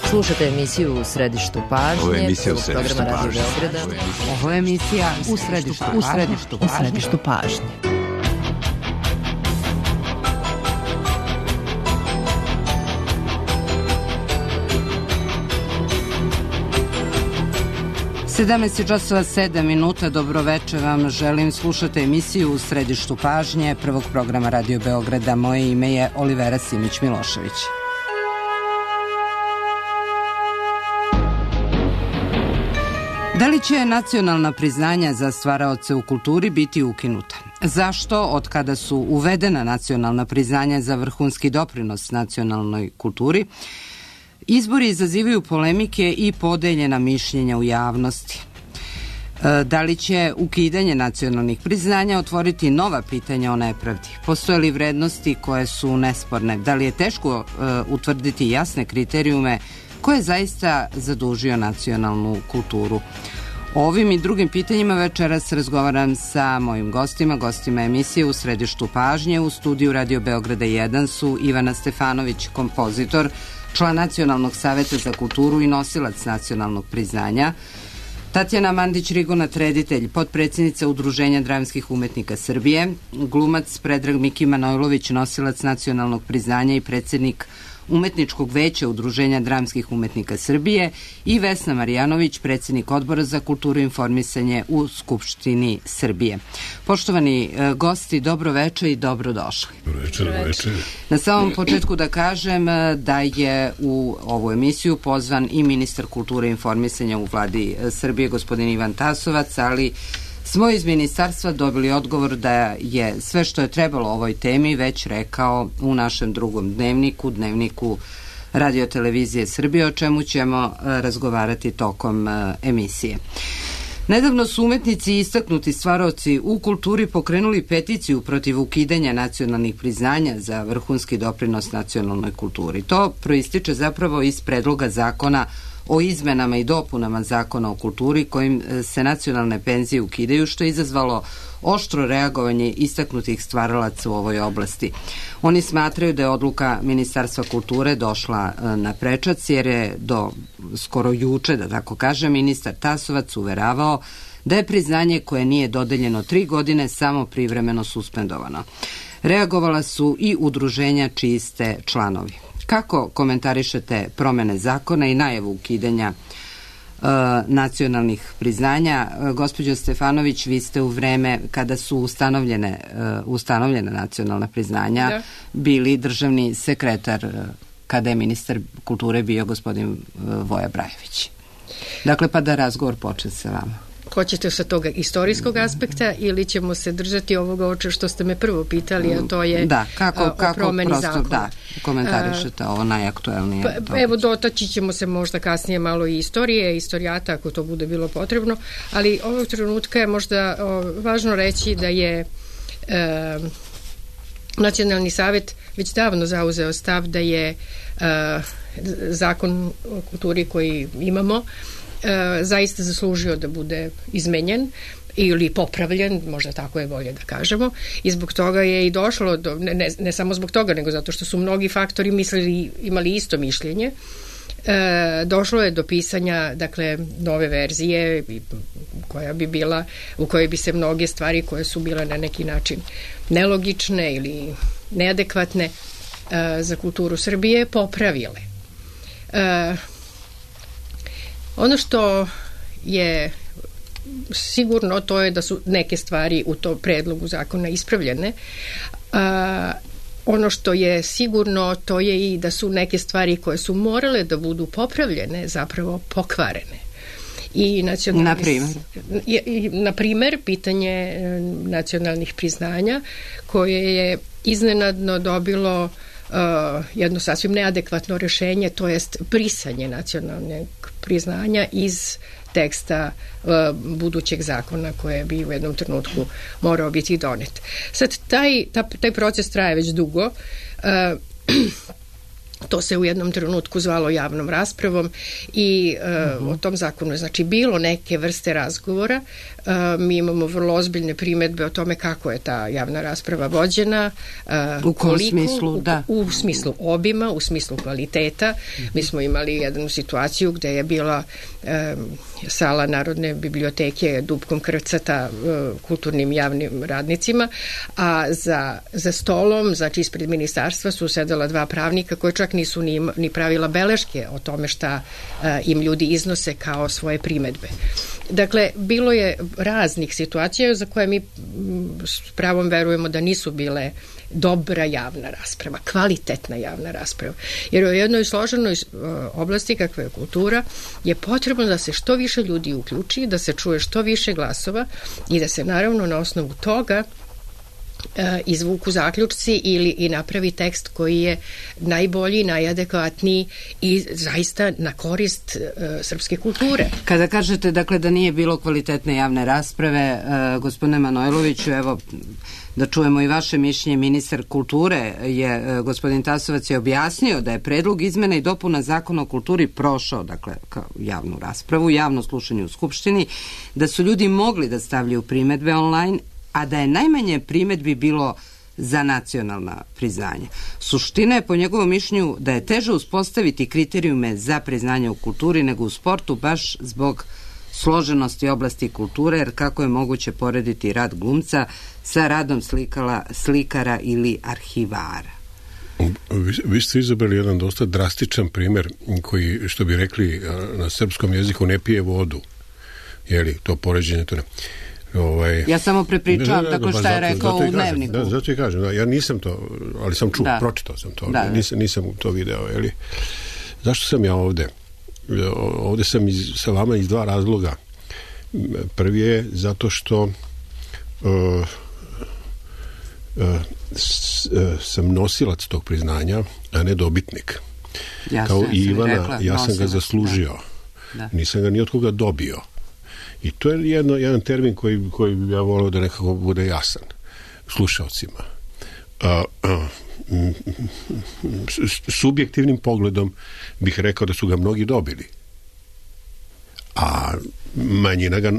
Slušate emisiju U središtu pažnje. Ovo je emisija U središtu pažnje. Ovo je emisija U središtu pažnje. časova 7 minuta, dobro večer vam želim, slušate emisiju U središtu pažnje prvog programa Radio Beograda. Moje ime je Olivera Simić-Milošević. Da li će nacionalna priznanja za stvaraoce u kulturi biti ukinuta? Zašto, od kada su uvedena nacionalna priznanja za vrhunski doprinos nacionalnoj kulturi, izbori izazivaju polemike i podeljena mišljenja u javnosti? Da li će ukidanje nacionalnih priznanja otvoriti nova pitanja o nepravdi? Postoje li vrednosti koje su nesporne? Da li je teško utvrditi jasne kriterijume ko je zaista zadužio nacionalnu kulturu? O ovim i drugim pitanjima večeras razgovaram sa mojim gostima emisije U središtu pažnje. U studiju Radio Beograda 1 su Ivana Stefanović, kompozitor, član Nacionalnog saveta za kulturu i nosilac nacionalnog priznanja, Tatjana Mandić-Rigonat, reditelj, potpredsjednica Udruženja dramskih umetnika Srbije, glumac Predrag Miki Manojlović, nosilac nacionalnog priznanja i predsjednik Umetničkog veća Udruženja dramskih umetnika Srbije, i Vesna Marjanović, predsjednik Odbora za kulturu i informisanje u Skupštini Srbije. Poštovani gosti, dobro večer i dobrodošli. Dobro večer. Na samom početku da kažem da je u ovu emisiju pozvan i ministar kulture i informisanja u vladi Srbije, gospodin Ivan Tasovac, ali smo iz ministarstva dobili odgovor da je sve što je trebalo o ovoj temi već rekao u našem drugom dnevniku Radio-televizije Srbije, o čemu ćemo razgovarati tokom emisije. Nedavno su umetnici i istaknuti stvaraoci u kulturi pokrenuli peticiju protiv ukidanja nacionalnih priznanja za vrhunski doprinos nacionalnoj kulturi. To proističe zapravo iz predloga zakona o izmenama i dopunama Zakona o kulturi kojim se nacionalne penzije ukidaju, što je izazvalo oštro reagovanje istaknutih stvaralaca u ovoj oblasti. Oni smatraju da je odluka Ministarstva kulture došla na prečac, jer je do skoro juče, da tako kažem, ministar Tasovac uveravao da je priznanje koje nije dodeljeno 3 godine samo privremeno suspendovano. Reagovala su i udruženja čiji ste članovi. Kako komentarišete promene zakona i najavu ukidanja nacionalnih priznanja? Gospođo Stefanović, vi ste u vreme kada su ustanovljena nacionalna priznanja bili državni sekretar kada je ministar kulture bio gospodin Voja Brajević. Dakle, pa da razgovor počne sa vama. Hoćete sa toga istorijskog aspekta ili ćemo se držati ovoga oče što ste me prvo pitali, a to je o promeni zakona? Da, komentarišete ovo najaktuelnije. Evo, dotaći ćemo se možda kasnije malo i istorije, istorijata ako to bude bilo potrebno, ali ovog trenutka je možda važno reći da je Nacionalni savet već davno zauzeo stav da je zakon o kulturi koji imamo zaista zaslužio da bude izmenjen ili popravljen, možda tako je bolje da kažemo, i zbog toga je i došlo do, ne samo zbog toga, nego zato što su mnogi faktori imali isto mišljenje, došlo je do pisanja, dakle, nove verzije koja bi bila, u kojoj bi se mnoge stvari koje su bile na neki način nelogične ili neadekvatne za kulturu Srbije popravile. Ono što je sigurno, to je da su neke stvari u tom predlogu zakona ispravljene. Ono što je sigurno, to je i da su neke stvari koje su morale da budu popravljene zapravo pokvarene. I na primer, pitanje nacionalnih priznanja koje je iznenadno dobilo jedno sasvim neadekvatno rešenje, to jest brisanje nacionalnog priznanja iz teksta budućeg zakona koje bi u jednom trenutku morao biti donet. Sad, taj proces traje već dugo. To se u jednom trenutku zvalo javnom raspravom i o tom zakonu je znači bilo neke vrste razgovora. Mi imamo vrlo ozbiljne primedbe o tome kako je ta javna rasprava vođena, u kom smislu, da. U smislu obima, u smislu kvaliteta. Mi smo imali jednu situaciju gde je bila sala Narodne biblioteke dupkom krcata kulturnim javnim radnicima, a za stolom, znači ispred ministarstva su sedela dva pravnika koji čak nisu ni pravila beleške o tome šta im ljudi iznose kao svoje primedbe. Dakle, bilo je raznih situacija za koje mi s pravom verujemo da nisu bile dobra javna rasprava, kvalitetna javna rasprava. Jer u jednoj složenoj oblasti kakva je kultura je potrebno da se što više ljudi uključi, da se čuje što više glasova i da se naravno na osnovu toga izvuku zaključci i napravi tekst koji je najbolji, najadekvatniji i zaista na korist srpske kulture. Kada kažete dakle da nije bilo kvalitetne javne rasprave, gospodine Manojloviću, evo da čujemo i vaše mišljenje. Ministar kulture je, gospodin Tasovac je objasnio da je predlog izmena i dopuna Zakona o kulturi prošao, dakle, kao javnu raspravu, javno slušanje u Skupštini, da su ljudi mogli da stavljaju primedbe online, a da je najmanje primedbi bilo za nacionalna priznanja. Suština je po njegovom mišljenju da je teže uspostaviti kriterijume za priznanje u kulturi nego u sportu, baš zbog složenosti oblasti kulture, jer kako je moguće porediti rad glumca sa radom slikara ili arhivara? Vi ste izabrali jedan dosta drastičan primjer koji, što bi rekli na srpskom jeziku, ne pije vodu. Jeli, to poređenje, to ne... Ja samo prepričavam tako što je rekao u Dnevniku. Da, zato i kažem, ja nisam to, ali sam čuo, pročitao sam to, nisam to video, jeli. Zašto sam ja ovde? Ovde sam sa vama iz dva razloga. Prvi je zato što sam nosilac tog priznanja, a ne dobitnik. Kao i Ivana, ja sam ga zaslužio. Nisam ga ni od koga dobio. I to je jedan termin koji bi ja volio da nekako bude jasan slušalcima. Subjektivnim pogledom bih rekao da su ga mnogi dobili, a manjina ga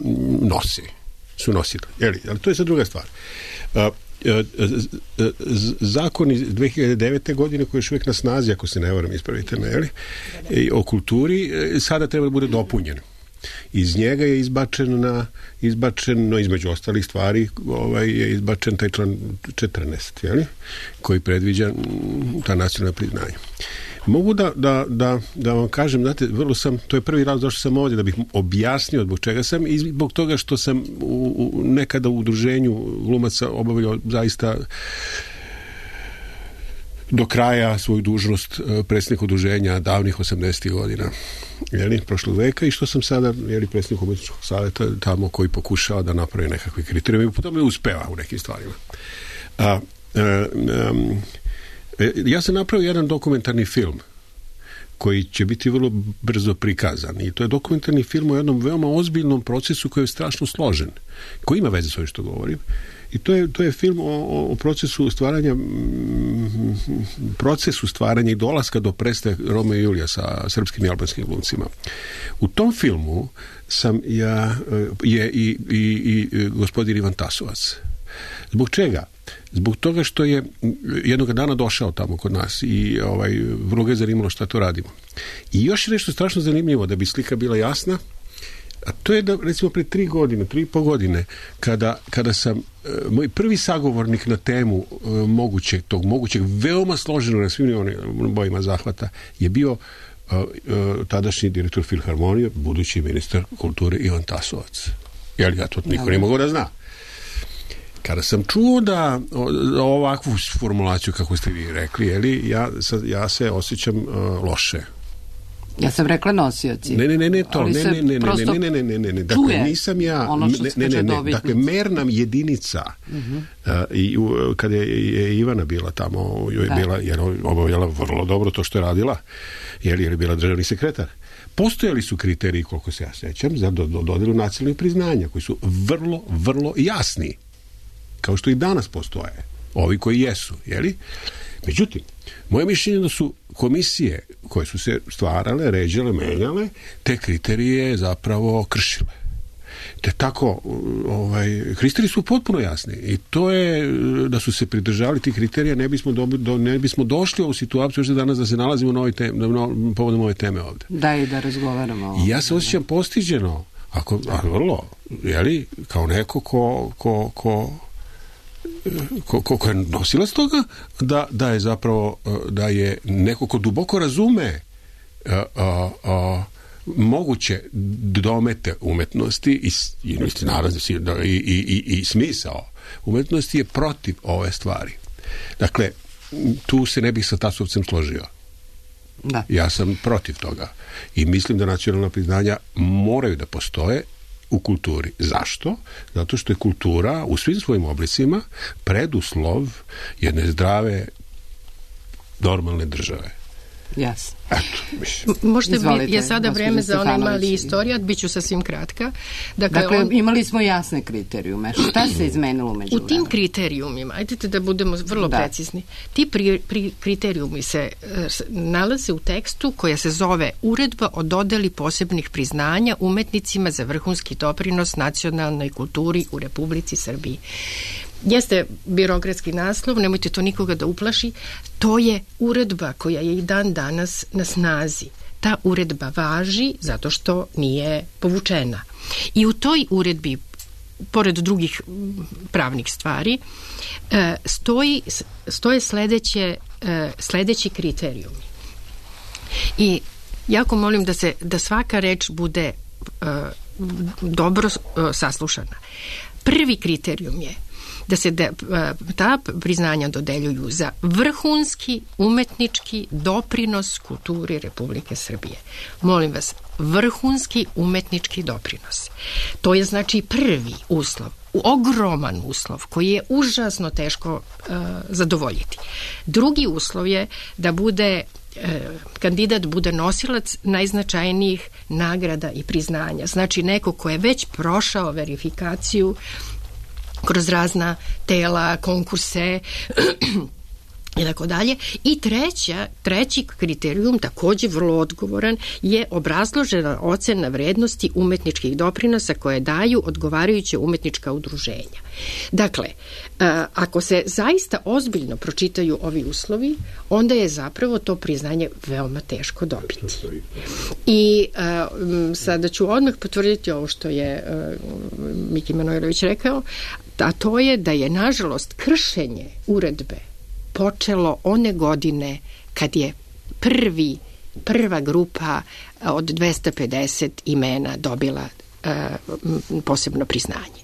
su nosili. Ali to je sad druga stvar. Zakon iz 2009. godine koji je još uvijek na snazi, ako se ne varam, ispravite me, o kulturi, sada treba da bude dopunjen. Iz njega je izbačeno između ostalih stvari je izbačen taj član 14, koji predviđa ta nacionalna priznanja. Mogu da vam kažem, znate, to je prvi razlog zašto sam ovdje, da bih objasnio zbog čega sam i zbog toga što sam nekada u udruženju glumaca obavljao zaista do kraja svoju dužnost predsjednik udruženja davnih 80. godina prošlog veka i što sam sada predsjednik umjetničkog savjeta tamo koji pokušava da napravi nekakve kriterijume i potom je uspeva u nekim stvarima. Ja sam napravio jedan dokumentarni film koji će biti vrlo brzo prikazan i to je dokumentarni film o jednom veoma ozbiljnom procesu koji je strašno složen, koji ima veze s ovim što govorim. I to je film o procesu stvaranja i dolaska do predstave Romeo i Julija sa srpskim i albanskim glumcima. U tom filmu je i gospodin Ivan Tasovac. Zbog čega? Zbog toga što je jednog dana došao tamo kod nas i vrlo ga je zanimalo šta to radimo. I još je nešto strašno zanimljivo da bi slika bila jasna, a to je da, recimo, pre 3,5 godine, kada sam, moj prvi sagovornik na temu mogućeg, veoma složenog na svim bojima zahvata, je bio tadašnji direktor Filharmonije, budući ministar kulture Ivan Tasovac. Ja to niko ne mogu da zna. Kada sam čuo da ovakvu formulaciju, kako ste vi rekli, ja se osjećam loše. Ja sam rekla nosioci. Ne, to. Ne. Dakle, nisam ja... Dakle, merna jedinica. I kada je Ivana bila tamo, joj je bila, jer obavljala vrlo dobro to što je radila, jer je bila državni sekretar. Postojali su kriteriji, koliko se ja sećam, za dodelu nacionalnih priznanja, koji su vrlo, vrlo jasni. Kao što i danas postoje. Ovi koji jesu, jeli? Međutim, moje mišljenje da su komisije koje su se stvarale, ređale, menjale, te kriterije zapravo kršile. Te tako, kriteriji su potpuno jasni i to je, da su se pridržavali tih kriterija, ne bismo došli u situaciju još danas da se nalazimo povodom ove teme ovde. Da, i da razgovaramo o ovome. Ja se osjećam postiđeno, vrlo, jeli, kao neko ko je nosilac toga, da je zapravo, da je neko ko duboko razume moguće domete umetnosti i smisao umetnosti je protiv ove stvari. Dakle, tu se ne bih sa Tasovcem složio. Da. Ja sam protiv toga i mislim da nacionalna priznanja moraju da postoje u kulturi. Zašto? Zato što je kultura u svim svojim oblicima preduslov jedne zdrave, normalne države. Jasno. Možda je sada vreme za onaj mali istorijat, bit ću sasvim kratka. Dakle, imali smo jasne kriterijume. Šta se izmenilo među vremena? U tim kriterijumima, ajdete da budemo vrlo precizni, ti kriterijumi se nalaze u tekstu koja se zove Uredba o dodeli posebnih priznanja umetnicima za vrhunski doprinos nacionalnoj kulturi u Republici Srbiji. Jeste birokratski naslov, nemojte to nikoga da uplaši, to je uredba koja je i dan danas na snazi. Ta uredba važi zato što nije povučena. I u toj uredbi, pored drugih pravnih stvari, stoje sledeći kriterijumi. I jako molim da svaka reč bude dobro saslušana. Prvi kriterijum je da se ta priznanja dodeljuju za vrhunski umetnički doprinos kulturi Republike Srbije. Molim vas, vrhunski umetnički doprinos. To je znači prvi uslov, ogroman uslov koji je užasno teško zadovoljiti. Drugi uslov je da kandidat bude nosilac najznačajnijih nagrada i priznanja. Znači neko ko je već prošao verifikaciju kroz razna tela, konkurse i tako dalje. I treći kriterijum, takođe vrlo odgovoran, je obrazložena ocena vrednosti umetničkih doprinosa koje daju odgovarajuće umetnička udruženja. Dakle, ako se zaista ozbiljno pročitaju ovi uslovi, onda je zapravo to priznanje veoma teško dobiti. I sada ću odmah potvrditi ovo što je Miki Manojlović rekao, a to je da je, nažalost, kršenje uredbe počelo one godine kad je prva grupa od 250 imena dobila posebno priznanje.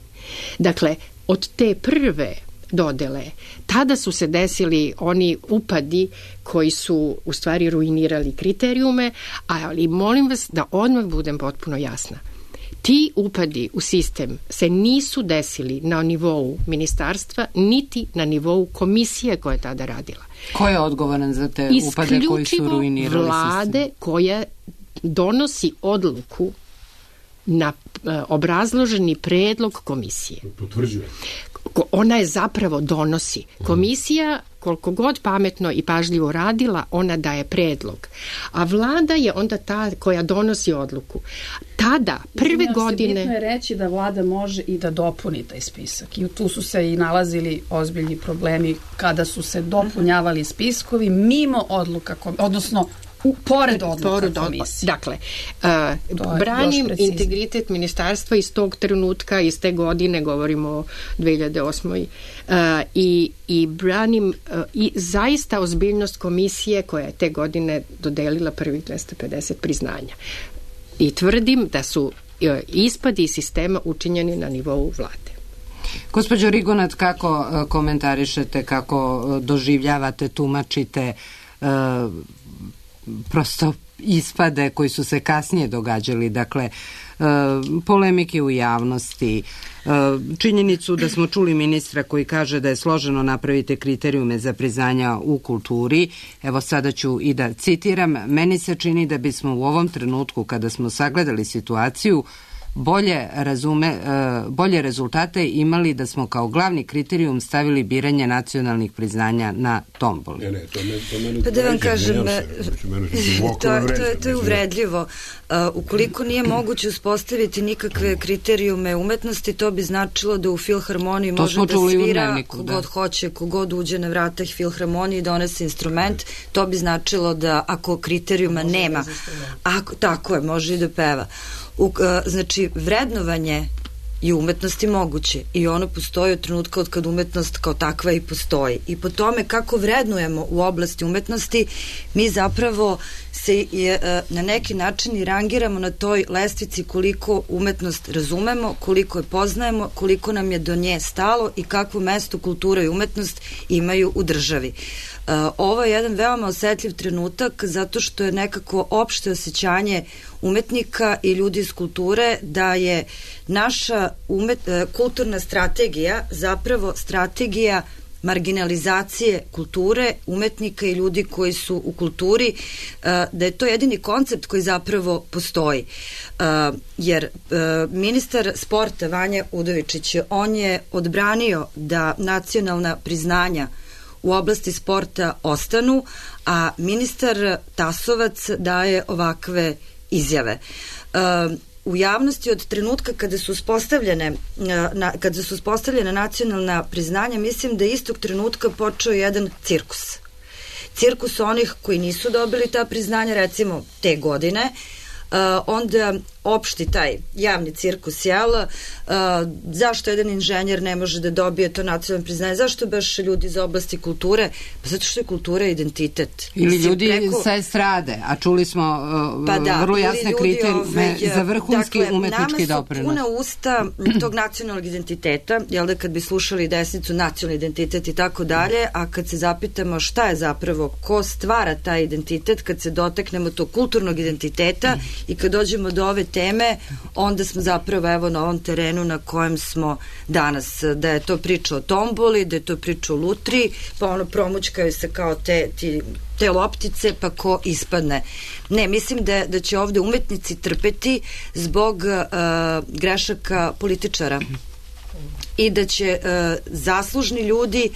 Dakle, od te prve dodele, tada su se desili oni upadi koji su u stvari ruinirali kriterijume, ali molim vas da odmah budem potpuno jasna. Ti upadi u sistem se nisu desili na nivou ministarstva, niti na nivou komisije koja je tada radila. Ko je odgovoran za te upade koji su ruinirali sistem? Vlade koja donosi odluku na obrazloženi predlog komisije. Potvrđuje. Ona je zapravo donosi. Komisija, koliko god pametno i pažljivo radila, ona daje predlog. A vlada je onda ta koja donosi odluku. Tada, prve godine... Bitno je reći da vlada može i da dopuni taj spisak. I tu su se i nalazili ozbiljni problemi kada su se dopunjavali spiskovi mimo odluka, odnosno pored odluka komisije. Dakle, branim integritet ministarstva iz tog trenutka, iz te godine, govorimo o 2008. I branim i zaista ozbiljnost komisije koja je te godine dodelila prvih 250 priznanja. I tvrdim da su ispadi iz sistema učinjeni na nivou vlade. Gospođo Rigonat, kako komentarišete, kako doživljavate, tumačite prosto ispade koji su se kasnije događali, dakle polemike u javnosti, činjenicu da smo čuli ministra koji kaže da je složeno napraviti kriterijume za priznanja u kulturi. Evo sada ću i da citiram, meni se čini da bismo u ovom trenutku kada smo sagledali situaciju bolje rezultate imali da smo kao glavni kriterijum stavili biranje nacionalnih priznanja na tomboli. Pa da vam kažem, to je uvredljivo. Ukoliko nije moguće uspostaviti nikakve kriterijume umetnosti, to bi značilo da u filharmoniji može da svira kogod hoće, kogod uđe na vrata filharmoniji i donese instrument. To bi značilo da ako kriterijuma nema, tako je, može i da peva. Znači, vrednovanje je umetnosti moguće i ono postoji od trenutka od kad umetnost kao takva i postoji. I po tome kako vrednujemo u oblasti umetnosti, mi zapravo se na neki način i rangiramo na toj lestvici koliko umetnost razumemo, koliko je poznajemo, koliko nam je do nje stalo i kakvo mesto kultura i umetnost imaju u državi. Ovo je jedan veoma osetljiv trenutak zato što je nekako opšte osjećanje umetnika i ljudi iz kulture da je naša kulturna strategija zapravo strategija marginalizacije kulture, umetnika i ljudi koji su u kulturi, da je to jedini koncept koji zapravo postoji. Jer ministar sporta Vanja Udovičić, on je odbranio da nacionalna priznanja u oblasti sporta ostanu, a ministar Tasovac daje ovakve izjave. U javnosti od trenutka kada su uspostavljene nacionalna priznanja, mislim da istog trenutka počeo jedan cirkus. Cirkus onih koji nisu dobili ta priznanja, recimo te godine, onda opšti taj javni cirkus, zašto jedan inženjer ne može da dobije to nacionalno priznanje, zašto baš ljudi iz oblasti kulture, pa zato što je kultura identitet. Ili ljudi sa estrade, a čuli smo vrlo jasne kriterijume za vrhunski umetnički doprinos. Nama su puna usta tog nacionalnog identiteta, jel da kad bi slušali desnicu, nacionalni identitet i tako dalje, a kad se zapitamo šta je zapravo, ko stvara taj identitet, kad se doteknemo tog kulturnog identiteta i kad dođemo do ove teme, onda smo zapravo evo na ovom terenu na kojem smo danas, da je to priča o tomboli, da je to priča o lutri, pa ono promućkaju se kao te loptice, pa ko ispadne. Ne, mislim da će ovde umetnici trpeti zbog grešaka političara i da će zaslužni ljudi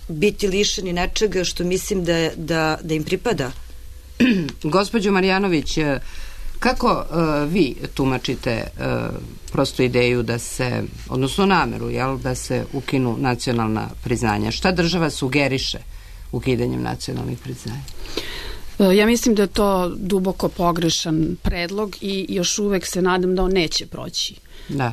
biti lišeni nečega što mislim da im pripada. Gospođo Marjanović, kako vi tumačite prostu ideju da se, odnosno nameru, da se ukinu nacionalna priznanja? Šta država sugeriše ukidanjem nacionalnih priznanja? Ja mislim da je to duboko pogrešan predlog i još uvek se nadam da on neće proći.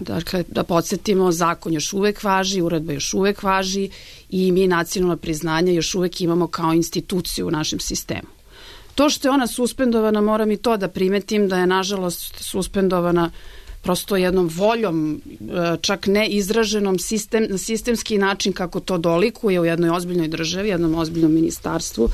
Dakle, da podsjetimo, zakon još uvek važi, uredba još uvek važi i mi nacionalna priznanja još uvek imamo kao instituciju u našem sistemu. To što je ona suspendovana, moram i to da primetim da je nažalost suspendovana prosto jednom voljom, čak ne izraženom na sistemski način kako to dolikuje u jednoj ozbiljnoj državi, jednom ozbiljnom ministarstvu.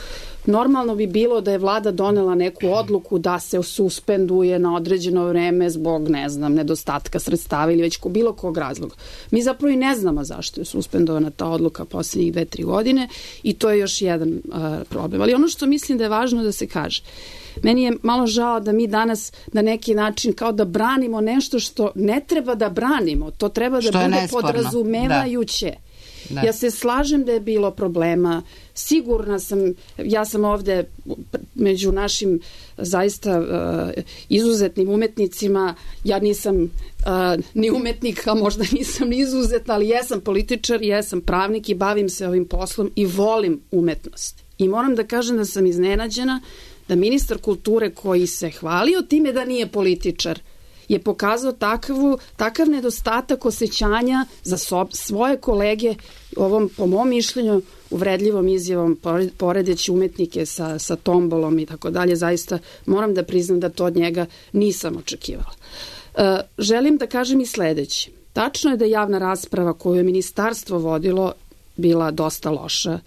Normalno bi bilo da je vlada donela neku odluku da se suspenduje na određeno vreme zbog, nedostatka sredstava ili već bilo kog razloga. Mi zapravo i ne znamo zašto je suspendovana ta odluka poslednjih 2-3 godine i to je još jedan problem. Ali ono što mislim da je važno da se kaže, meni je malo žao da mi danas na neki način kao da branimo nešto što ne treba da branimo, to treba da bude podrazumevajuće. Da. Ja se slažem da je bilo problema, sigurna sam, ja sam ovde među našim zaista izuzetnim umetnicima, ja nisam ni umetnik, a možda nisam ni izuzetna, ali jesam političar, jesam pravnik i bavim se ovim poslom i volim umetnost. I moram da kažem da sam iznenađena da ministar kulture koji se hvalio time da nije političar je pokazao takav nedostatak osjećanja za svoje kolege ovom, po mom mišljenju, uvredljivom izjavom, poredeći umetnike sa tombolom i tako dalje. Zaista moram da priznam da to od njega nisam očekivala. Želim da kažem i sledeće. Tačno je da javna rasprava koju je ministarstvo vodilo bila dosta loša.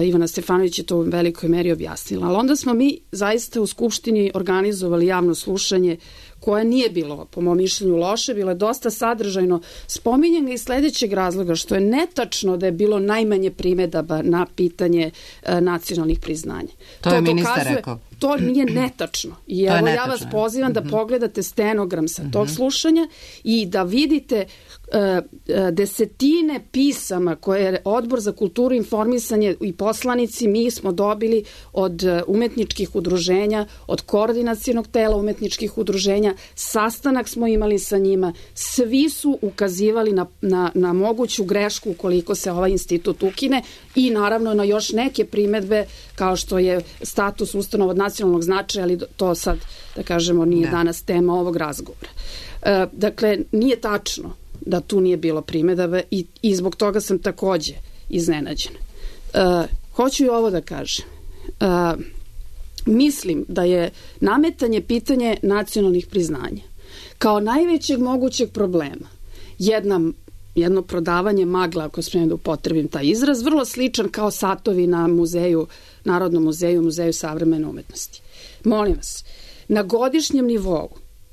Ivana Stefanović je to u velikoj meri objasnila. Ali onda smo mi zaista u Skupštini organizovali javno slušanje koje nije bilo, po mom mišljenju, loše, bilo je dosta sadržajno. Spominjem ga iz sledećeg razloga, što je netačno da je bilo najmanje primedaba na pitanje nacionalnih priznanja. To je ministar rekao. To nije netačno. I evo ja vas pozivam da pogledate stenogram sa tog slušanja i da vidite desetine pisama koje je Odbor za kulturu i informisanje i poslanici mi smo dobili od umetničkih udruženja, od koordinacionog tela umetničkih udruženja, sastanak smo imali sa njima, svi su ukazivali na moguću grešku ukoliko se ovaj institut ukine i naravno na još neke primedbe kao što je status ustanova od nacionalnog značaja, ali to sad, da kažemo, nije danas tema ovog razgovora. Dakle, nije tačno da tu nije bilo primedaba i zbog toga sam takođe iznenađena. Hoću i ovo da kažem. Mislim da je nametanje pitanje nacionalnih priznanja kao najvećeg mogućeg problema jedno prodavanje magla, ako smijem da upotrebim taj izraz, vrlo sličan kao satovi na muzeju, Narodnom muzeju, Muzeju savremene umetnosti. Molim vas, na godišnjem nivou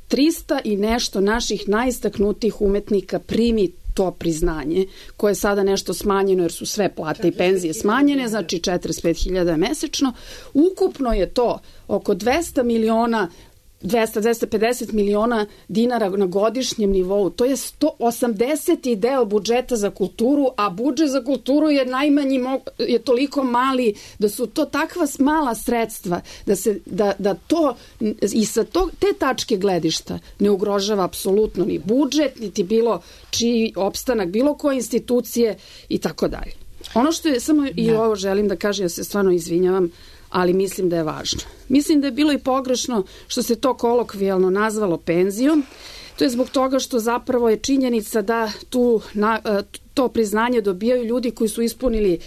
300 i nešto naših najistaknutijih umetnika primi to priznanje, koje je sada nešto smanjeno jer su sve plate i penzije smanjene, znači 45.000 mesečno. Ukupno je to oko 250 miliona dinara na godišnjem nivou. To je 180. deo budžeta za kulturu, a budžet za kulturu je najmanji, je toliko mali da su to takva mala sredstva da to i sa te tačke gledišta ne ugrožava apsolutno ni budžet, niti bilo čiji opstanak bilo koje institucije i tako dalje. Ono što je, samo i ovo želim da kažem, ja se stvarno izvinjavam, ali mislim da je važno. Mislim da je bilo i pogrešno što se to kolokvijalno nazvalo penzijom. To je zbog toga što zapravo je činjenica da to priznanje dobijaju ljudi koji su ispunili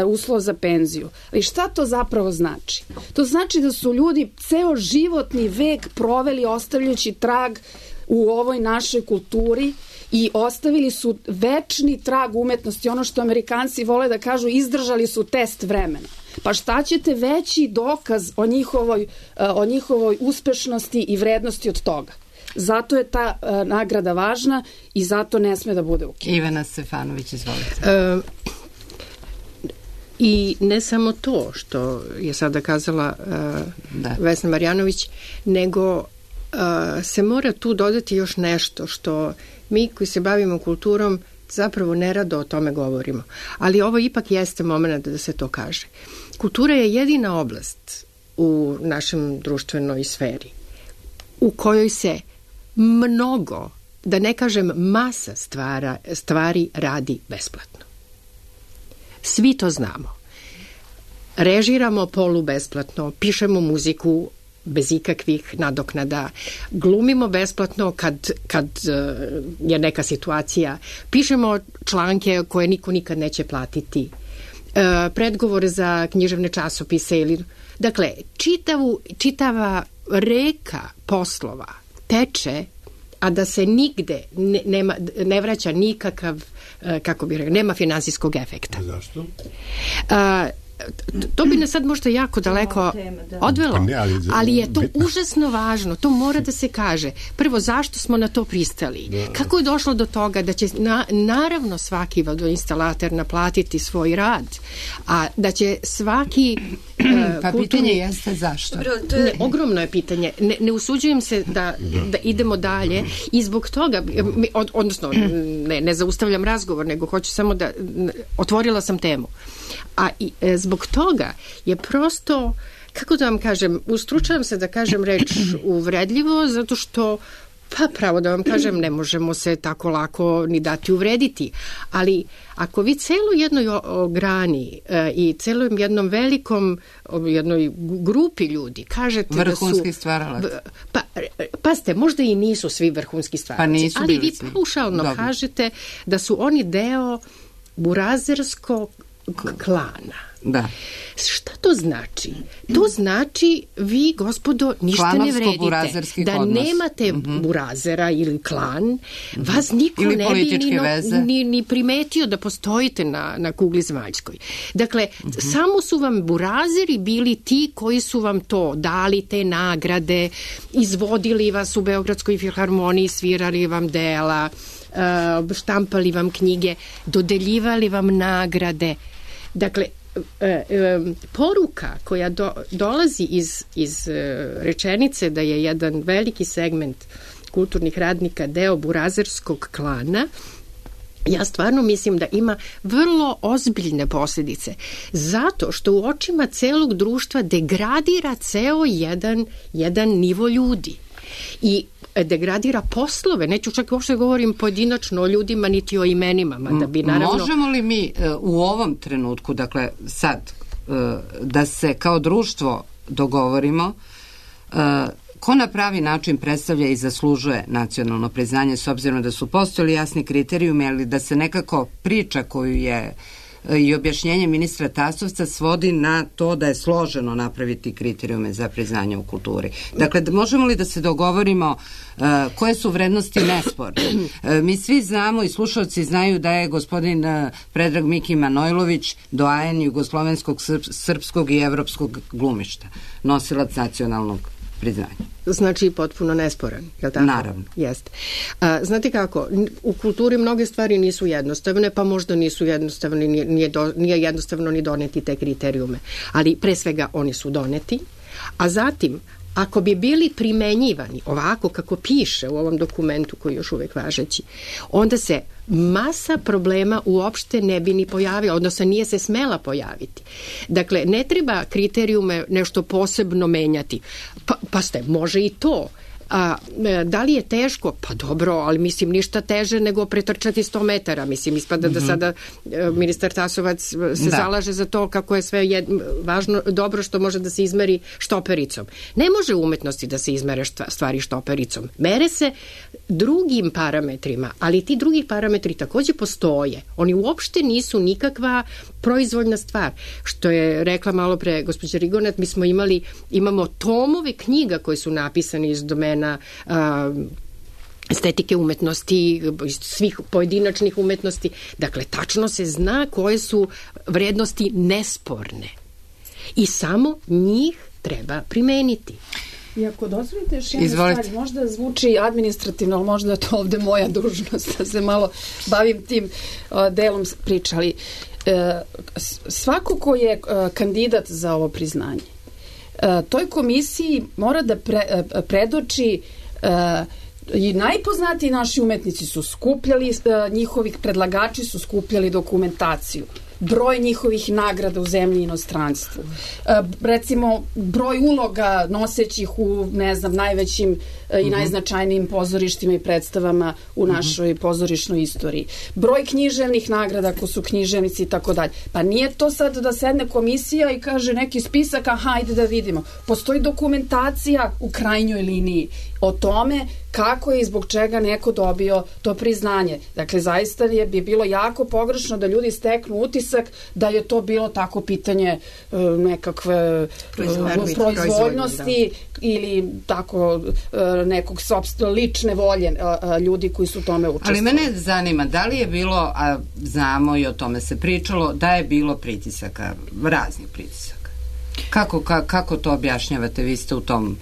uslov za penziju. Ali šta to zapravo znači? To znači da su ljudi ceo životni vek proveli ostavljajući trag u ovoj našoj kulturi i ostavili su večni trag umetnosti. Ono što Amerikanci vole da kažu, izdržali su test vremena. Pa šta ćete veći dokaz o njihovoj uspešnosti i vrednosti od toga? Zato je ta nagrada važna i zato ne sme da bude ukinuta. Ivana Stefanović, izvolite. I ne samo to što je sada kazala Vesna Marjanović, nego se mora tu dodati još nešto što mi koji se bavimo kulturom zapravo nerado o tome govorimo. Ali ovo ipak jeste moment da se to kaže. Kultura je jedina oblast u našem društvenoj sferi u kojoj se mnogo, da ne kažem masa stvari radi besplatno. Svi to znamo. Režiramo polubesplatno, pišemo muziku bez ikakvih nadoknada, glumimo besplatno kad je neka situacija, pišemo članke koje niko nikad neće platiti, predgovore za književne časopise dakle, čitava reka poslova teče, a da se nigde ne vraća nikakav, kako bih rekao, nema finansijskog efekta. Zašto? To bi nas sad možda jako daleko odvelo, ali je to užasno važno, to mora da se kaže. Prvo, zašto smo na to pristali? Kako je došlo do toga da će naravno svaki vodoinstalater naplatiti svoj rad, a da će svaki pa pitanje jeste zašto? Ogromno je pitanje. Ne usuđujem se da idemo dalje i zbog toga, odnosno ne zaustavljam razgovor, nego hoću samo da otvorila sam temu. A zbog toga je prosto, kako da vam kažem, ustručavam se da kažem reč uvredljivo, zato što, pa pravo da vam kažem, ne možemo se tako lako ni dati uvrediti. Ali ako vi celu jednoj grani i celom jednom velikom, jednoj grupi ljudi kažete vrhunski stvaralac. Pa, pazite, možda i nisu svi vrhunski stvaralaci, ali vi paušalno kažete da su oni deo burazerskog klana. Da. Šta to znači? To znači vi, gospodo, ništa ne vredite. Da nemate burazera ili klan, vas niko ili ne bi ni primetio da postojite na kugli zemaljskoj. Dakle, samo su vam burazeri bili ti koji su vam to dali, te nagrade, izvodili vas u Beogradskoj filharmoniji, svirali vam dela, štampali vam knjige, dodeljivali vam nagrade. Dakle, poruka koja dolazi iz rečenice da je jedan veliki segment kulturnih radnika deo burazerskog klana, ja stvarno mislim da ima vrlo ozbiljne posljedice. Zato što u očima celog društva degradira ceo jedan nivo ljudi. I degradira poslove, neću čak uopšte govorim pojedinačno o ljudima niti o imenima, da bi naravno... Možemo li mi u ovom trenutku, dakle sad, da se kao društvo dogovorimo ko na pravi način predstavlja i zaslužuje nacionalno priznanje, s obzirom da su postojali jasni kriterijumi, ali da se nekako priča koju je i objašnjenje ministra Tasovca svodi na to da je složeno napraviti kriterijume za priznanje u kulturi. Dakle, možemo li da se dogovorimo koje su vrednosti nesporne? Mi svi znamo i slušalci znaju da je gospodin Predrag Miki Manojlović doajen jugoslovenskog, srpskog i evropskog glumišta, nosilac nacionalnog priznanja. Znači potpuno nesporan, je li tako? Naravno. Jeste. Znate kako, u kulturi mnoge stvari nisu jednostavne, pa možda nisu jednostavne, nije jednostavno ni doneti te kriterijume. Ali pre svega oni su doneti, a zatim ako bi bili primenjivani ovako kako piše u ovom dokumentu koji je još uvek važeći, onda se masa problema uopšte ne bi ni pojavila, odnosno nije se smela pojaviti. Dakle, ne treba kriterijume nešto posebno menjati. Pa ste, može i to. Da li je teško? Pa dobro, ali mislim ništa teže nego pretrčati 100 metara. Mislim, ispada da sada ministar Tasovac se zalaže za to kako je sve važno, dobro što može da se izmeri štopericom. Ne može u umetnosti da se izmere stvari štopericom. Mere se drugim parametrima, ali ti drugi parametri takođe postoje. Oni uopšte nisu nikakva proizvoljna stvar. Što je rekla malo pre gospođa Rigonet, mi smo imamo tomove knjiga koji su napisani iz domena estetike umetnosti, svih pojedinačnih umetnosti. Dakle, tačno se zna koje su vrednosti nesporne. I samo njih treba primeniti. I ako dozvolite još jednu stvar, možda zvuči administrativno, ali možda je to ovde moja dužnost da se malo bavim tim delom pričali. Svako ko je kandidat za ovo priznanje, toj komisiji mora da predoči i najpoznatiji naši umetnici su skupljali, njihovih predlagači su skupljali dokumentaciju, broj njihovih nagrada u zemlji i inostranstvu, recimo broj uloga nosećih u, ne znam, najvećim i najznačajnijim pozorištima i predstavama u našoj pozorišnoj istoriji, broj književnih nagrada ko su književnici i tako dalje. Pa nije to sad da sedne komisija i kaže neki spisak, hajde da vidimo. Postoji dokumentacija u krajnjoj liniji o tome kako je i zbog čega neko dobio to priznanje. Dakle, zaista bi bilo jako pogrešno da ljudi steknu utisak da je to bilo tako pitanje nekakve proizvoljnosti ili tako nekog lične volje ljudi koji su u tome učestvovali. Ali mene zanima, da li je bilo, a znamo i o tome se pričalo, da je bilo pritisaka, raznih pritisaka. Kako to objašnjavate? Vi ste u tom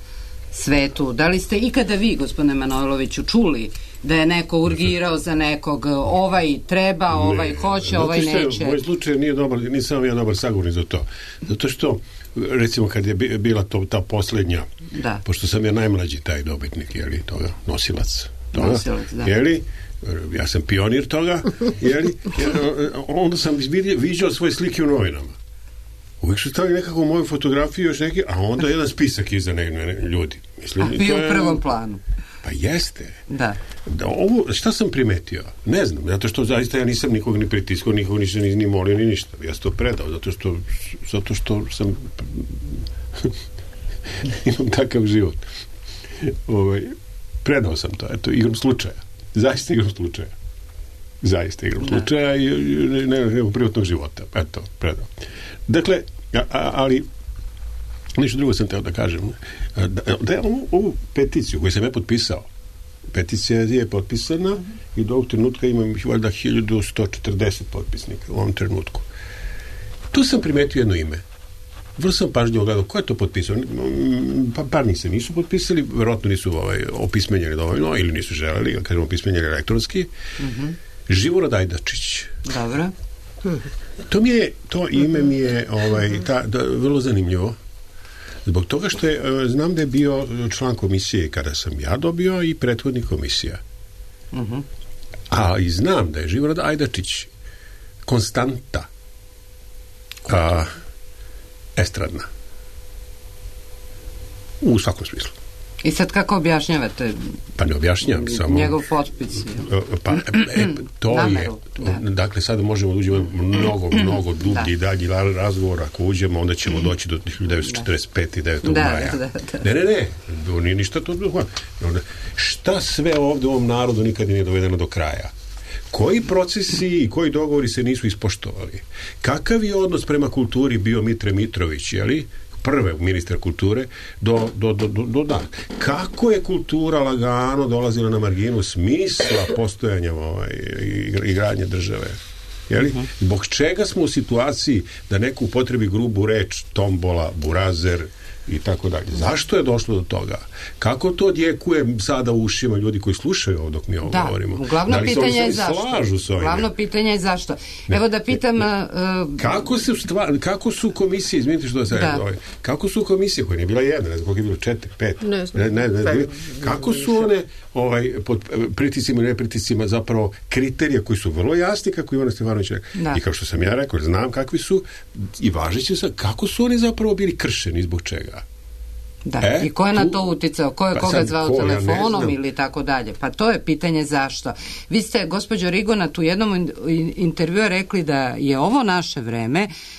svetu. Da li ste ikada vi, gospodine Manojloviću, čuli da je neko urgirao za nekog, ovaj treba, ovaj hoće, ovaj neće? Moj slučaj nije dobar, nisam ja dobar sagovornik za to. Zato što, recimo, kad je bila ta poslednja, pošto sam ja najmlađi taj dobitnik, jeli, toga, nosilac toga, jeli, ja sam pionir toga, jeli, onda sam viđao svoje slike u novinama. Uvijek su stavili nekako moju fotografiju još neki, a onda jedan spisak iza ljudi. Mislim, a bio u prvom planu. Pa jeste. Da. Ovo, šta sam primetio? Ne znam, zato što zaista ja nisam nikog ni pritiskao, nikog nisam ni molio, ni ništa. Ja sam to predao, zato što sam imam takav život. Predao sam to, eto, igrom slučaja. Zaista igrom slučaja. Zaista igrom slučaja i nekog privatnog života. Eto, predao. Dakle, ali nešto drugo sam teo da kažem. Da je ovu peticiju koju sam ja potpisao, peticija je potpisana i do ovog trenutka imam valjda 1140 potpisnika u ovom trenutku. Tu sam primetio jedno ime. Vrlo sam pažljivo gledao ko je to potpisao. Par njih se nisu potpisali, verovatno nisu opismenjeni dovoljno ili nisu želeli, kažemo opismenjeni elektronski. Živorad Ajdačić. Dobro. To ime mi je vrlo zanimljivo. Zbog toga što znam da je bio član komisije kada sam ja dobio i prethodnih komisija. A i znam da je Živorad Ajdačić konstanta estradna. U svakom smislu. I sad kako objašnjavate? Pa ne objašnjavam, samo njegov potpis. To nameru, je. Dakle, sada možemo da uđemo mnogo dublji i dalji razgovor. Ako uđemo, onda ćemo doći do 1945. i 9. maja. Ne. Nije ništa to. Šta sve ovde u ovom narodu nikad nije dovedeno do kraja? Koji procesi i koji dogovori se nisu ispoštovali? Kakav je odnos prema kulturi bio Mitre Mitrović, jeli? Prve ministra kulture do da. Kako je kultura lagano dolazila na marginu smisla postojanja i gradnje države? Jeli? Zbog čega smo u situaciji da neko upotrebi grubu reč tombola, burazer i tako dalje. Zašto je došlo do toga? Kako to odjekuje sada u ušima ljudi koji slušaju ovo dok mi ovo govorimo? Glavno pitanje je zašto. Glavno pitanje je zašto. Evo da pitam... Kako su komisije, izvinite što da se kako su komisije, koje nije bila jedna, ne znam koliko je bilo, 4, 5, kako su one pod pritiscima i nepritiscima zapravo kriterija koji su vrlo jasni, kako Ivana Stefanović rekao. I kao što sam ja rekao, znam kakvi su i važeći su, kako su oni zapravo bili kršeni, zbog čega? Da, i ko je na to uticao? Ko je koga zvao telefonom ili tako dalje? Pa to je pitanje zašto. Vi ste, gospođo Rigonat, u jednom intervjuu rekli da je ovo naše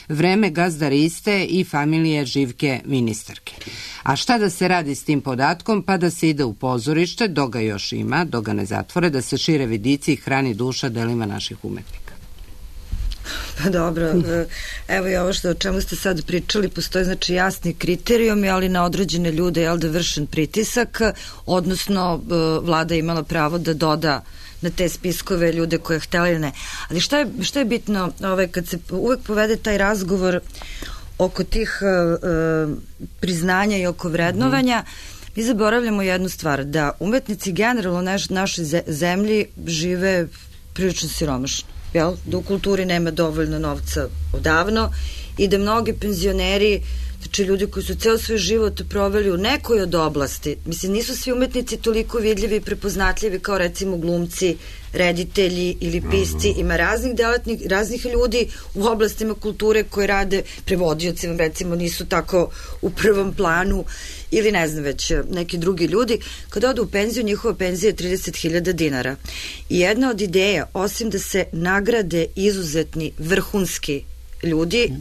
vreme gazdariste i familije Živke ministarke. A šta da se radi s tim podatkom? Pa da se ide u pozorište, dok ga još ima, dok ga ne zatvore, da se šire vidici i hrani duša delima naših umetnika. Pa dobro, evo i ovo o čemu ste sad pričali, postoje znači jasni kriterijumi, ali na određene ljude je da vršen pritisak, odnosno vlada imala pravo da doda na te spiskove ljude koje je htjela ili ne. Ali šta je bitno kad se uvek povede taj razgovor oko tih priznanja i oko vrednovanja, mi zaboravljamo jednu stvar, da umetnici generalno u našoj zemlji žive prilično siromašno. Da u kulturi nema dovoljno novca odavno i da mnogi penzioneri, znači ljudi koji su ceo svoj život proveli u nekoj od oblasti, mislim nisu svi umetnici toliko vidljivi i prepoznatljivi kao recimo glumci, reditelji ili pisci, ima raznih ljudi u oblastima kulture koji rade, prevodioci vam recimo nisu tako u prvom planu ili ne znam već neki drugi ljudi. Kad odu u penziju, njihova penzija je 30.000 dinara. I jedna od ideja, osim da se nagrade izuzetni vrhunski ljudi,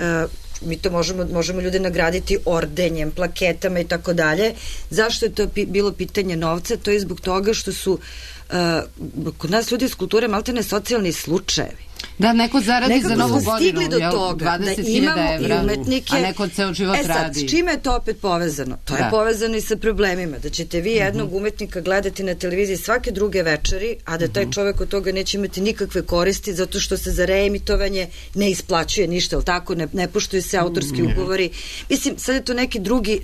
mi to možemo ljude nagraditi ordenjem, plaketama i tako dalje. Zašto je to bilo pitanje novca? To je zbog toga što su kod nas ljudi iz kulture maltene socijalni slučajevi. Da, neko zaradi za novu godinu, stigli do toga, 20.000 evra, a neko ceo život radi. S čime je to opet povezano? To je povezano i sa problemima, da ćete vi jednog umetnika gledati na televiziji svake druge večeri, a da taj čovek od toga neće imati nikakve koristi, zato što se za reemitovanje ne isplaćuje ništa, ali tako, ne poštuju se autorski ugovori. Mislim, sad je to neki drugi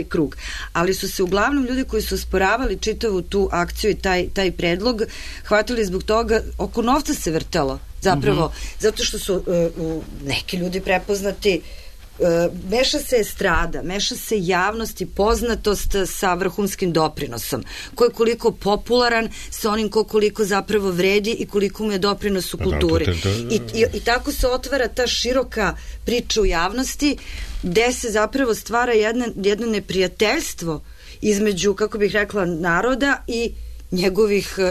krug. Ali su se uglavnom ljudi koji su osporavali čitavu tu akciju i taj predlog hvatili zbog toga, oko novca se vrtalo. Zapravo, zato što su neki ljudi prepoznati, meša se estrada, meša se javnost i poznatost sa vrhunskim doprinosom. Ko je koliko popularan sa onim koliko zapravo vredi i koliko mu je doprinos u kulturi. I tako se otvara ta široka priča u javnosti gde se zapravo stvara jedno neprijateljstvo između, kako bih rekla, naroda i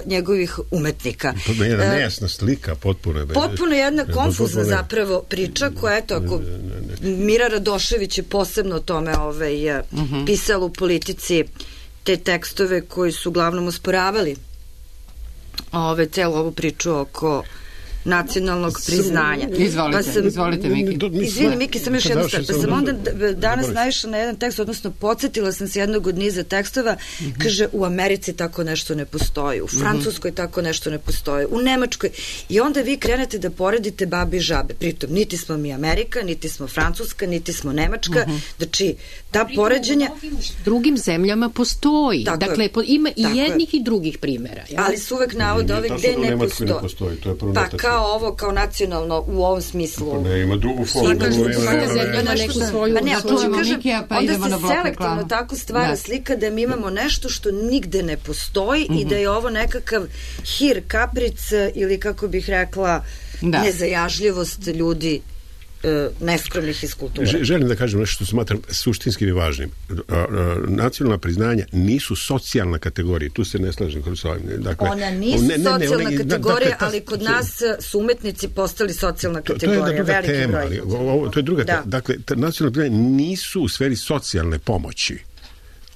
njegovih umetnika. Jedna nejasna slika, potpuno jedna konfuzna zapravo priča koja, eto, ako Mira Radošević je posebno o tome pisala u Politici te tekstove koji su uglavnom osporavali celu ovu priču oko nacionalnog priznanja. Izvolite, Miki. Izvini, Miki, sam još jednu stvar. Pa sam onda danas naišla na jedan tekst, odnosno podsjetila sam se jednog od niza tekstova, kaže, u Americi tako nešto ne postoji, u Francuskoj tako nešto ne postoji, u Nemačkoj. I onda vi krenete da poredite babi i žabe. Pritom, niti smo mi Amerika, niti smo Francuska, niti smo Nemačka. Znači, ta poređenja... Drugim zemljama postoji. Dakle, ima i jednih i drugih primjera. Ali su uvek navode ove gde ne postoji. Kao ovo, kao nacionalno u ovom smislu. Pa ne, ima drugu formu. Onda se selektivno tako stvara slika da mi imamo nešto što nigde ne postoji i da je ovo nekakav hir, kapric ili kako bih rekla nezajažljivost ljudi neskromnih iz kulture. Želim da kažem nešto što smatram suštinskim i važnim. Nacionalna priznanja nisu socijalna kategorija. Tu se ne slažem kroz ovim. Dakle, ona nisu socijalna kategorija, ali kod nas su umetnici postali socijalna kategorija. To je druga tema. To je druga tema. Dakle, nacionalna priznanja nisu u sferi socijalne pomoći.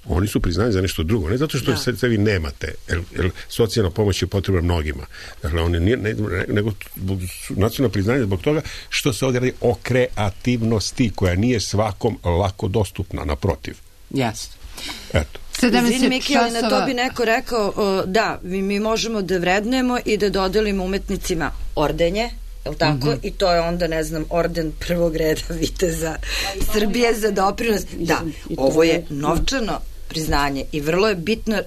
Oni su priznani za nešto drugo. Ne zato što se vi nemate, jer socijalna pomoć je potrebna mnogima. Dakle, oni nego nacionalno priznanje zbog toga što se ovdje radi o kreativnosti koja nije svakom lako dostupna, naprotiv. Jasno. Eto. Izvini, Miki, ali na to bi neko rekao da, mi možemo da vrednujemo i da dodelimo umetnicima ordenje, je li tako? I to je onda, ne znam, orden prvog reda viteza Srbije za doprinos. Da, ovo je novčano priznanje i vrlo je bitno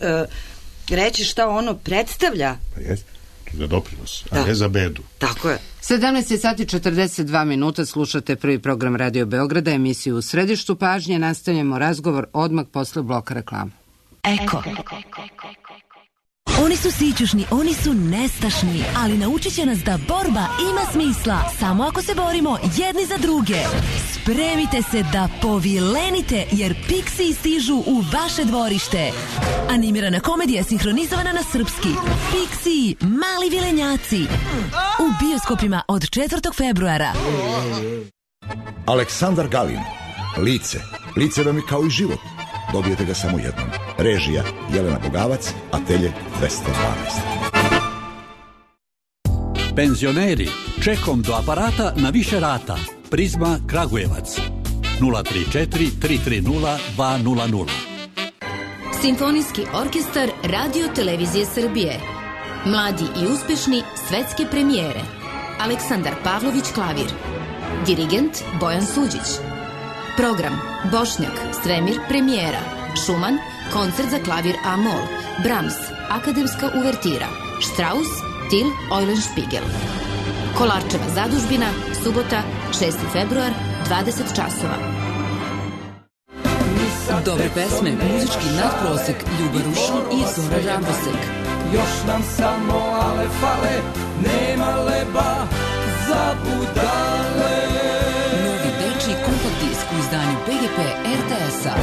reći šta ono predstavlja. Pa jest, za doprinos, a ne za bedu. Tako je. 17:42 slušate prvi program Radio Beograda, emisiju U središtu pažnje. Nastavljamo razgovor odmah posle bloka reklama. Eko. Oni su sićušni, oni su nestašni, ali naučit će nas da borba ima smisla samo ako se borimo jedni za druge. Spremite se da povilenite, jer Pixiji stižu u vaše dvorište. Animirana komedija sinhronizovana na srpski. Pixiji, mali vilenjaci. U bioskopima od 4. februara. Aleksandar Galin. Lice. Lice vam je kao i život. Dobijete ga samo jednom. Režija Jelena Bogavac, Atelje 212. Penzioneri, čekom do aparata na više rata. Prizma Kragujevac 034 330 200. Simfonijski orkestar Radio Televizije Srbije. Mladi i uspešni svetske premijere. Aleksandar Pavlović klavir. Dirigent Bojan Suđić. Program Bošnjak, Stremir, premijera. Šuman, koncert za klavir A-mol. Brahms, akademska uvertira. Strauss, Till, Eulenspiegel. Kolarčeva zadužbina, subota, 6. februar, 20 časova. Dobre pesme, muzički nadprosek, Ljuba Rušan i Zora Rambosek. Još nam samo ale fale, nema leba za budale. Novi dečiji kompakt disk u izdanju PGP RTS-a.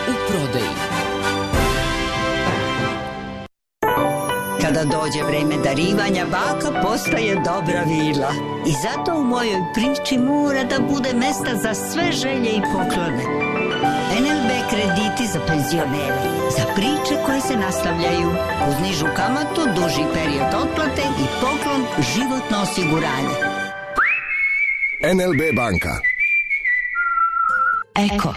U prodaji. Kada dođe vreme darivanja, baka postaje dobra vila. I zato u mojoj priči mora da bude mesta za sve želje i poklone. NLB krediti za penzionere, za priče koje se nastavljaju, uz nižu kamatu, duži period otplate i poklon životno osiguranje. NLB banka. Eko.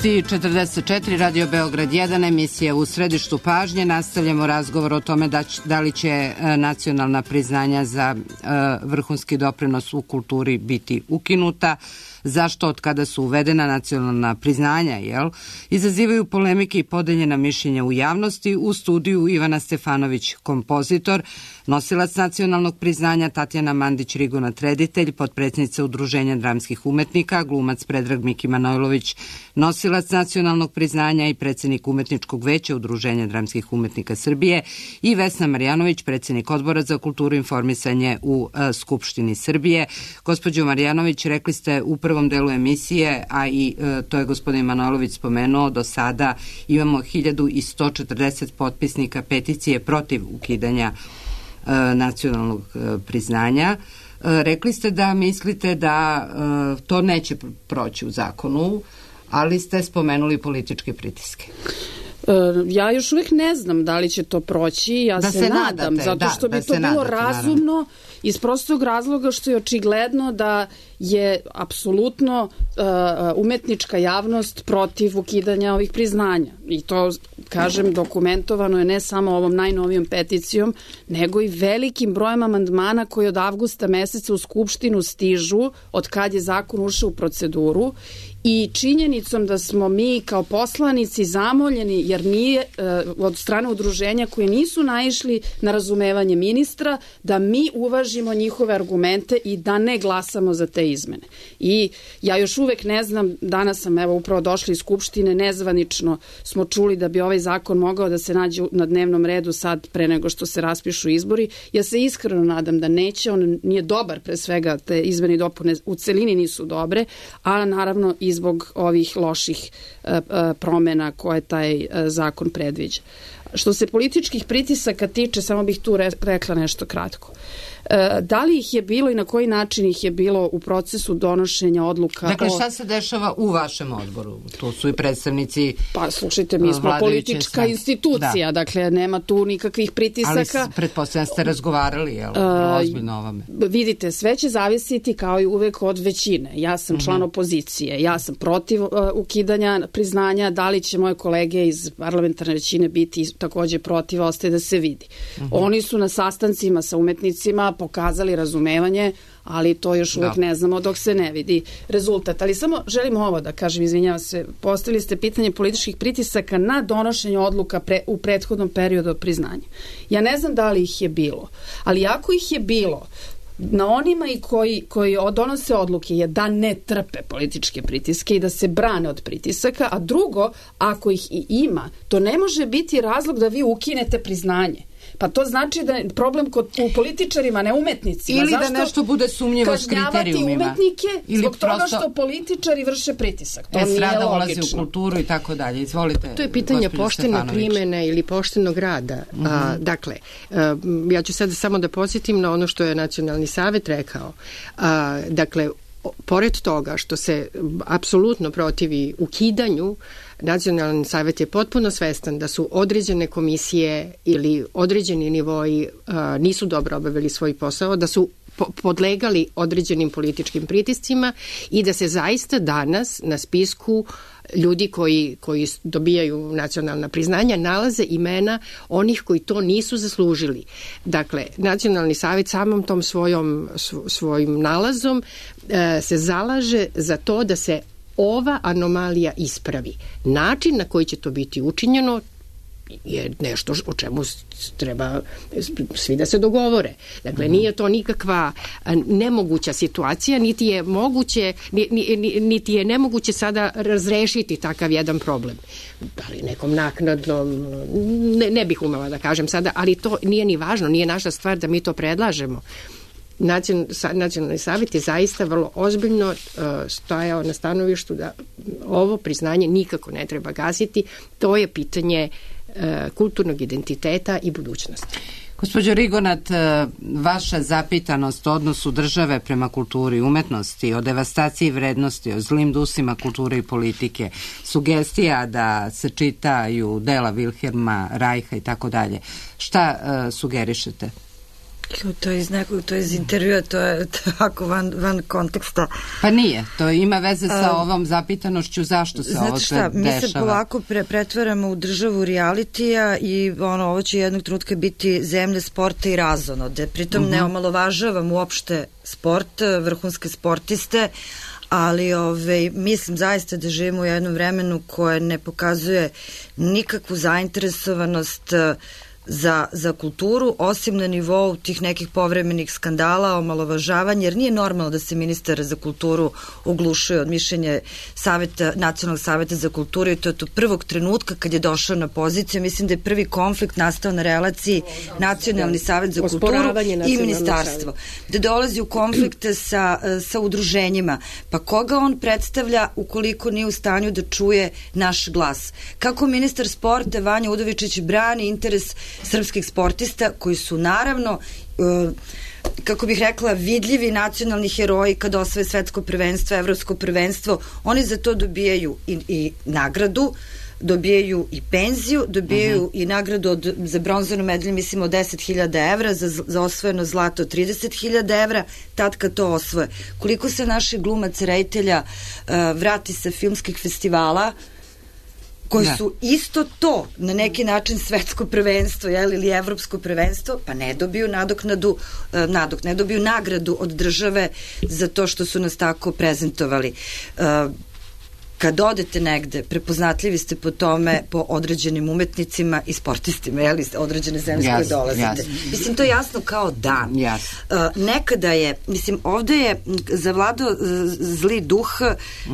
i 44, Radio Beograd 1, emisija U središtu pažnje. Nastavljamo razgovor o tome da li će nacionalna priznanja za vrhunski doprinos u kulturi biti ukinuta. Zašto od kada su uvedena nacionalna priznanja, izazivaju polemike i podeljena mišljenja u javnosti. U studiju Ivana Stefanović, kompozitor, nosilac nacionalnog priznanja Tatjana Mandić-Riguna, reditelj, potpredsjednica Udruženja dramskih umetnika, glumac Predrag Miki Manojlović, nosilac nacionalnog priznanja i predsjednik Umetničkog veća Udruženja dramskih umetnika Srbije, i Vesna Marjanović, predsjednik Odbora za kulturu i informisanje u Skupštini Srbije. Gospođo Marjanović, rekli ste upravo prvom delu emisije, a i to je gospodin Manojlović spomenuo, do sada imamo 1140 potpisnika peticije protiv ukidanja nacionalnog priznanja. Rekli ste da mislite da to neće proći u zakonu, ali ste spomenuli političke pritiske. Ja još uvijek ne znam da li će to proći, ja da se nadam, zato što bi to bilo razumno, naravno. Iz prostog razloga što je očigledno da je apsolutno umetnička javnost protiv ukidanja ovih priznanja. I to, kažem, dokumentovano je ne samo ovom najnovijom peticijom, nego i velikim brojem amandmana koji od avgusta meseca u Skupštinu stižu od kad je zakon ušao u proceduru i činjenicom da smo mi kao poslanici zamoljeni, jer nije od strane udruženja koje nisu naišli na razumevanje ministra, da mi uvažimo njihove argumente i da ne glasamo za te izmene. I ja još uvek ne znam, danas sam upravo došla iz Skupštine, nezvanično smo čuli da bi ovaj zakon mogao da se nađe na dnevnom redu sad pre nego što se raspišu izbori. Ja se iskreno nadam da neće, on nije dobar, pre svega te izmene i dopune u celini nisu dobre, a naravno i zbog ovih loših promena koje taj zakon predviđa. Što se političkih pritisaka tiče, samo bih tu rekla nešto kratko. Da li ih je bilo i na koji način ih je bilo u procesu donošenja odluka? Dakle, šta se dešava u vašem odboru? Tu su i predstavnici. Pa, slušajte, mi smo politička institucija, dakle, nema tu nikakvih pritisaka. Ali pretpostavljam ste razgovarali, jel? Ozbiljno o ovome. Vidite, sve će zavisiti kao i uvek od većine. Ja sam član opozicije, ja sam protiv ukidanja priznanja, da li će moje kolege iz parlamentarne većine biti takođe protiv, ostaje da se vidi. Oni su na sastancima sa umetnicima pokazali razumevanje, ali to još uvek ne znamo dok se ne vidi rezultat. Ali samo želim ovo da kažem, izvinjavam se, postavili ste pitanje političkih pritisaka na donošenje odluka u prethodnom periodu od priznanja. Ja ne znam da li ih je bilo, ali ako ih je bilo, na onima i koji donose odluke je da ne trpe političke pritiske i da se brane od pritisaka, a drugo, ako ih i ima, to ne može biti razlog da vi ukinete priznanje. Pa to znači da je problem u političarima, ne umetnicima. Ili da nešto bude sumnjivo s kriterijumima. Kažnjavati umetnike zbog toga što političari vrše pritisak. To nije logično. Ulazi u kulturu i tako dalje. Izvolite. To je pitanje poštene primene ili poštenog rada. Dakle, ja ću sad samo da podsjetim na ono što je Nacionalni savet rekao. Dakle, pored toga što se apsolutno protivi ukidanju, Nacionalni savet je potpuno svestan da su određene komisije ili određeni nivoji nisu dobro obavili svoj posao, da su podlegali određenim političkim pritiscima i da se zaista danas na spisku ljudi koji dobijaju nacionalna priznanja nalaze imena onih koji to nisu zaslužili. Dakle, Nacionalni savet samom tom svojim nalazom se zalaže za to da se ova anomalija ispravi. Način na koji će to biti učinjeno je nešto o čemu treba svi da se dogovore. Dakle, nije to nikakva nemoguća situacija, niti je nemoguće sada razrešiti takav jedan problem. Da li nekom naknadnom, ne bih umela da kažem sada, ali to nije ni važno, nije naša stvar da mi to predlažemo. Nacionalni savjet je zaista vrlo ozbiljno stajao na stanovištu da ovo priznanje nikako ne treba gasiti. To je pitanje kulturnog identiteta i budućnosti. Gospođo Rigonat, vaša zapitanost o odnosu države prema kulturi i umetnosti, o devastaciji vrednosti, o zlim dusima kulture i politike, sugestija da se čitaju dela Vilhelma Reicha i tako dalje. Šta sugerišete? To je iz intervjua, to je tako van konteksta. Pa nije, to ima veze sa ovom zapitanošću zašto se ovo sve dešava. Mi se polako pretvaramo u državu realitija i ovo će jednog trenutka biti zemlja sporta i razonode. Pritom ne omalovažavam uopšte sport, vrhunske sportiste, ali mislim zaista da živimo u jednom vremenu koje ne pokazuje nikakvu zainteresovanost za kulturu, osim na nivou tih nekih povremenih skandala, omalovažavanja, jer nije normalno da se ministar za kulturu oglušuje od mišljenja Nacionalnog saveta za kulturu i to je to prvog trenutka kad je došao na poziciju. Mislim da je prvi konflikt nastao na relaciji Nacionalni savet za kulturu i ministarstvo. Da dolazi u konflikte sa udruženjima. Pa koga on predstavlja ukoliko nije u stanju da čuje naš glas? Kako ministar sporta Vanja Udovičić brani interes srpskih sportista koji su naravno kako bih rekla, vidljivi nacionalni heroji kad osvoje svetsko prvenstvo, evropsko prvenstvo, oni za to dobijaju i nagradu, dobijaju i penziju, dobijaju i nagradu za bronzanu medalju, mislim od 10.000 evra, za osvojeno zlato 30.000 evra, tad kad to osvoje. Koliko se naših glumaca, reditelja vrati sa filmskih festivala, koji su isto to, na neki način svetsko prvenstvo ili evropsko prvenstvo, pa ne dobiju ne dobiju nagradu od države za to što su nas tako prezentovali. Kad odete negde, prepoznatljivi ste po tome, po određenim umetnicima i sportistima, određene zemlje koje dolazite. Mislim, to je jasno kao dan. Nekada je, mislim, ovde je zavladao zli duh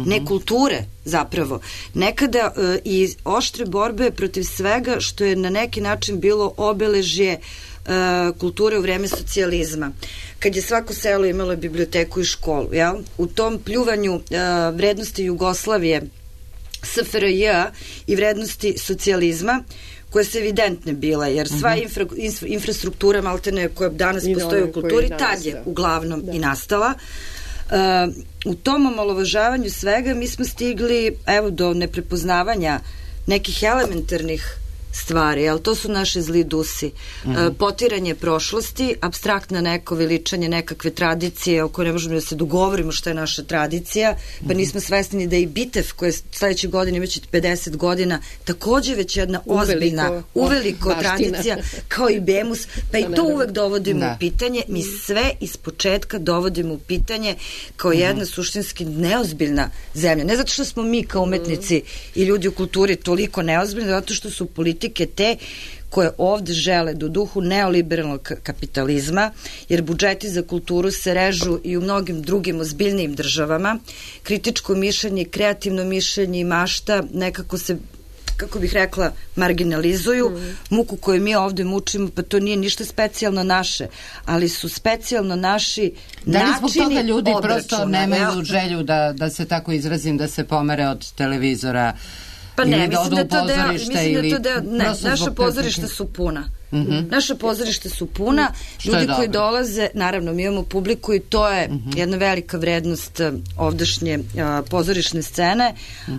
nekulture, zapravo. Nekada i oštre borbe protiv svega što je na neki način bilo obeležje kulture u vreme socijalizma. Kad je svako selo imalo biblioteku i školu, u tom pljuvanju vrednosti Jugoslavije, SFRJ i vrednosti socijalizma, koje su evidentne bile, jer sva infrastruktura maltene koja danas postoji u kulturi, tad je uglavnom i nastala. U tom omalovažavanju svega mi smo stigli do neprepoznavanja nekih elementarnih stvari, ali to su naše zli dusi. Potiranje prošlosti, apstraktna neko veličanje nekakve tradicije o kojoj ne možemo da se dogovorimo što je naša tradicija, pa nismo svesni da i Bitev koja je sledeće godine imaće 50 godina takođe već jedna ozbiljna, uveliko tradicija, kao i Bemus, pa i to uvek dovodimo u pitanje. Mi sve iz početka dovodimo u pitanje kao jedna suštinski neozbiljna zemlja. Ne zato što smo mi kao umetnici i ljudi u kulturi toliko neozbiljni, zato što su politike te koje ovde žele do duhu neoliberalnog kapitalizma, jer budžeti za kulturu se režu i u mnogim drugim ozbiljnijim državama. Kritičko mišljenje, kreativno mišljenje i mašta nekako se, kako bih rekla, marginalizuju. Muku koju mi ovde mučimo, pa to nije ništa specijalno naše, ali su specijalno naši načini obračuna. Da li zbog toga ljudi prosto nemaju želju da se tako izrazim, da se pomere od televizora? Pa ne, mislim da naša pozorišta su puna. Naša pozorišta su puna, ljudi koji dolaze, naravno mi imamo publiku i to je jedna velika vrednost ovdašnje pozorišne scene,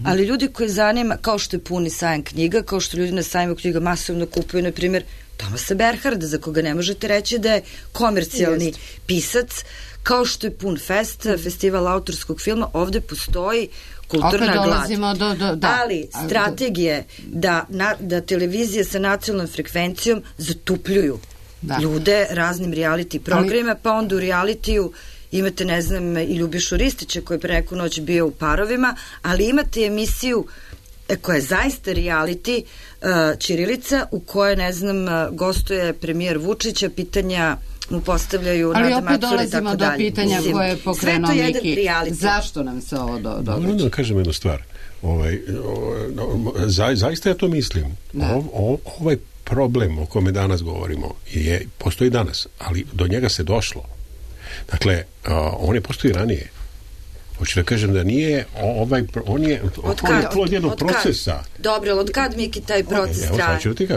ali ljudi koji zanima, kao što je puni sajam knjiga, kao što ljudi na sajmu knjiga masovno kupuju, na primjer, Tomasa Berharda, za koga ne možete reći da je komercijalni pisac, kao što je pun festival autorskog filma, ovde postoji kulturna glad. Ali strategije da televizije sa nacionalnom frekvencijom zatupljuju ljude raznim reality programima, pa onda u realitiju imate, ne znam, i Ljubišu Ristića koji je preko noć bio u Parovima, ali imate emisiju koja je zaista reality, Ćirilica, u kojoj, ne znam, gostuje premijer Vučića, pitanja mu postavljaju Nada Macura i tako dalje. Ali opet dolazimo do pitanja koje je pokrenuo Miki. Zašto nam se ovo događa? Moram da kažem jednu stvar. Zaista ja to mislim. Ovaj problem o kome danas govorimo postoji danas, ali do njega se došlo. Dakle, on je postoji ranije. Hoću da kažem da nije on je plod jednog procesa. Dobro, od kad, Miki, taj proces traje? Evo, sad ću ti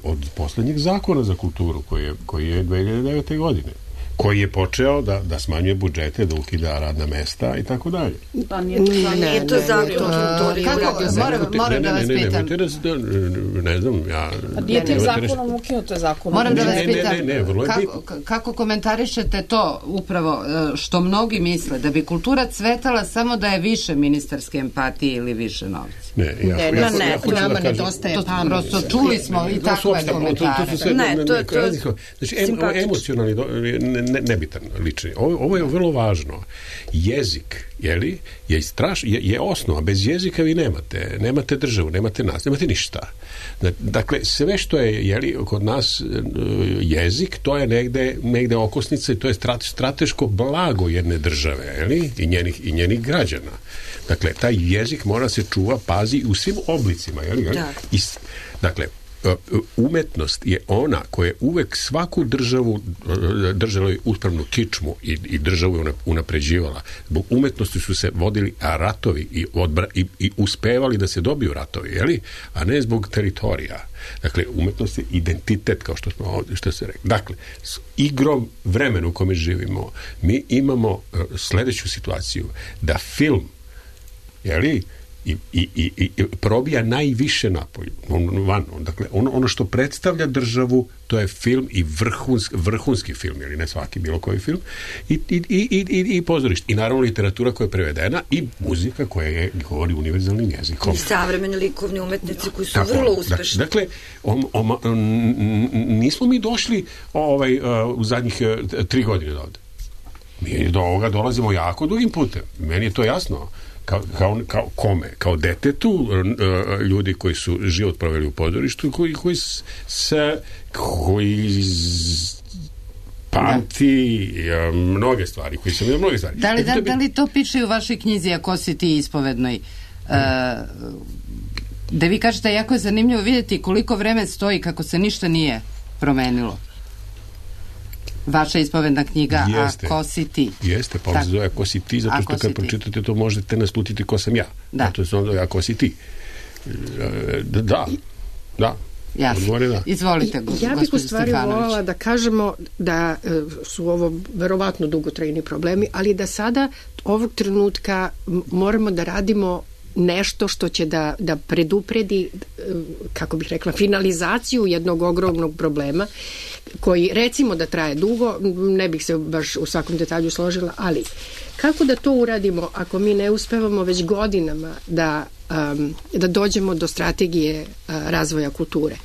od poslednjeg zakona za kulturu koji je 2009. godine, koji je počeo da smanjuje budžete, da ukida radna mesta i tako dalje. Pa nije to zakon. Moram da vas pitam. Ne znam, ja... Nije tim zakonom ukinuto je zakon. Moram da vas pitam, kako komentarišete to upravo što mnogi misle, da bi kultura cvetala samo da je više ministarske empatije ili više novca? Ne, nama nedostaje pamet. Prosto čuli smo i takve komentare. Znači, emocionalni nebitan lični. Ovo je vrlo važno. Jezik, je osnova. Bez jezika vi nemate državu, nemate nas, nemate ništa. Dakle, sve što je kod nas jezik, to je negde okosnica i to je strateško blago jedne države, i njenih građana. Dakle, taj jezik mora se čuva, pazi u svim oblicima, dakle, umetnost je ona koja je uvek svaku državu držala uspravnu kičmu i državu je unapređivala. Zbog umetnosti su se vodili ratovi i uspevali da se dobiju ratovi, a ne zbog teritorija. Dakle, umetnost je identitet, kao što smo ovdje, što se rekli. Dakle, s igrom vremena u kome živimo, mi imamo sledeću situaciju, da film, i probija najviše napolju, dakle, ono što predstavlja državu, to je film i vrhunski film, ne svaki, bilo koji film, i pozorište. I naravno literatura koja je prevedena i muzika koja govori univerzalnim jezikom. I savremeni likovni umetnici koji su vrlo uspešni. Dakle, nismo mi došli u zadnjih 3 godine do ovde. Mi do ovoga dolazimo jako dugim putem. Meni je to jasno. Kao kome? Kao detetu, ljudi koji su život proveli u pozorištu, koji pamti mnoge stvari, koji sam vidio mnoge stvari. Da li to piše u vašoj knjizi Ako si ti ispovednoj? Da vi kažete, jako je zanimljivo vidjeti koliko vreme stoji kako se ništa nije promenilo. Vaša ispovedna knjiga Ako si ti. Jeste, pa se zove Ako si ti, zato što kad pročitate to možete naslutiti ko sam ja. Zato se zove Ako si ti. Da. Jasno. Izvolite, gospođo Ja bih u stvari Stefanović. voljela da kažemo da su ovo verovatno dugotrajni problemi, ali da sada ovog trenutka moramo da radimo nešto što će da predupredi, kako bih rekla, finalizaciju jednog ogromnog problema koji recimo da traje dugo, ne bih se baš u svakom detalju složila, ali kako da to uradimo ako mi ne uspevamo već godinama da dođemo do strategije razvoja kulture?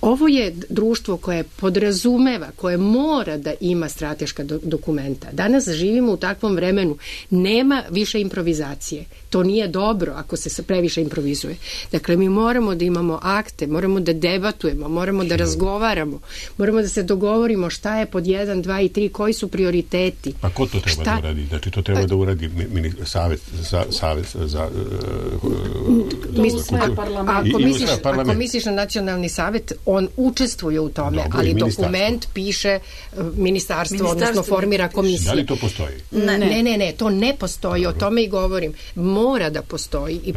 Ovo je društvo koje podrazumeva, koje mora da ima strateška dokumenta. Danas živimo u takvom vremenu. Nema više improvizacije. To nije dobro ako se previše improvizuje. Dakle, mi moramo da imamo akte, moramo da debatujemo, moramo da razgovaramo, moramo da se dogovorimo šta je pod 1, 2 i 3, koji su prioriteti. Pa ko to treba da uradi? Znači, to treba da uradi Savet za Ako misliš na Nacionalni savet, on učestvuje u tome, ali dokument piše ministarstvo, odnosno formira komisija. Da li to postoji? Ne, to ne postoji, o tome i govorim. Mora da postoji i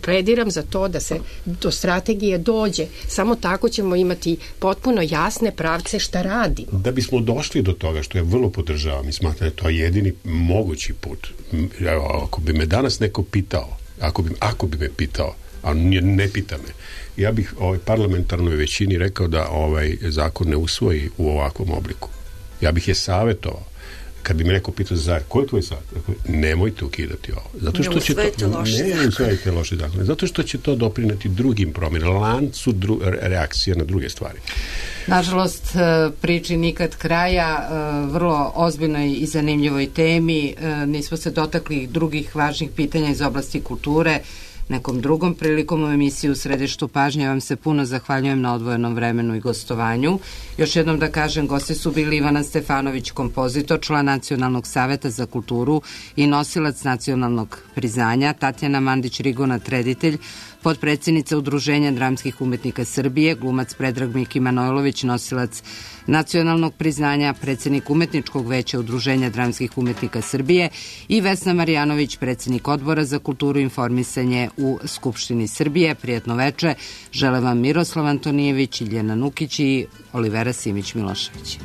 plediram za to da se do strategije dođe. Samo tako ćemo imati potpuno jasne pravce šta radimo. Da bismo došli do toga, što ja vrlo podržavam i smatram da je to jedini mogući put. Ako bi me danas neko pitao, ako bi me pitao, a ne pita me, ja bih parlamentarnoj većini rekao da ovaj zakon ne usvoji u ovakvom obliku. Ja bih je savjetovao. Kad bi me neko pitao ko je tvoj savjet? Nemojte ukidati ovo. Zato što će ne usvojite loše zakone. Zato što će to doprineti drugim promjenama, lancu reakcije na druge stvari. Nažalost, priči nikad kraja, vrlo ozbiljnoj i zanimljivoj temi. Nismo se dotakli drugih važnih pitanja iz oblasti kulture. Nekom drugom prilikom u emisiju U središtu pažnje vam se puno zahvaljujem na odvojenom vremenu i gostovanju. Još jednom da kažem, gosti su bili Ivana Stefanović, kompozitor, član Nacionalnog saveta za kulturu i nosilac nacionalnog priznanja, Tatjana Mandić-Rigonat, reditelj, potpredsjednica Udruženja dramskih umetnika Srbije, glumac Predrag Miki Manojlović, nosilac nacionalnog priznanja, predsjednik Umetničkog veća Udruženja dramskih umetnika Srbije i Vesna Marjanović, predsjednik Odbora za kulturu i informisanje u Skupštini Srbije. Prijatno veče. Žele vam Miroslav Antonijević, Iljana Nukić i Olivera Simić-Milošević.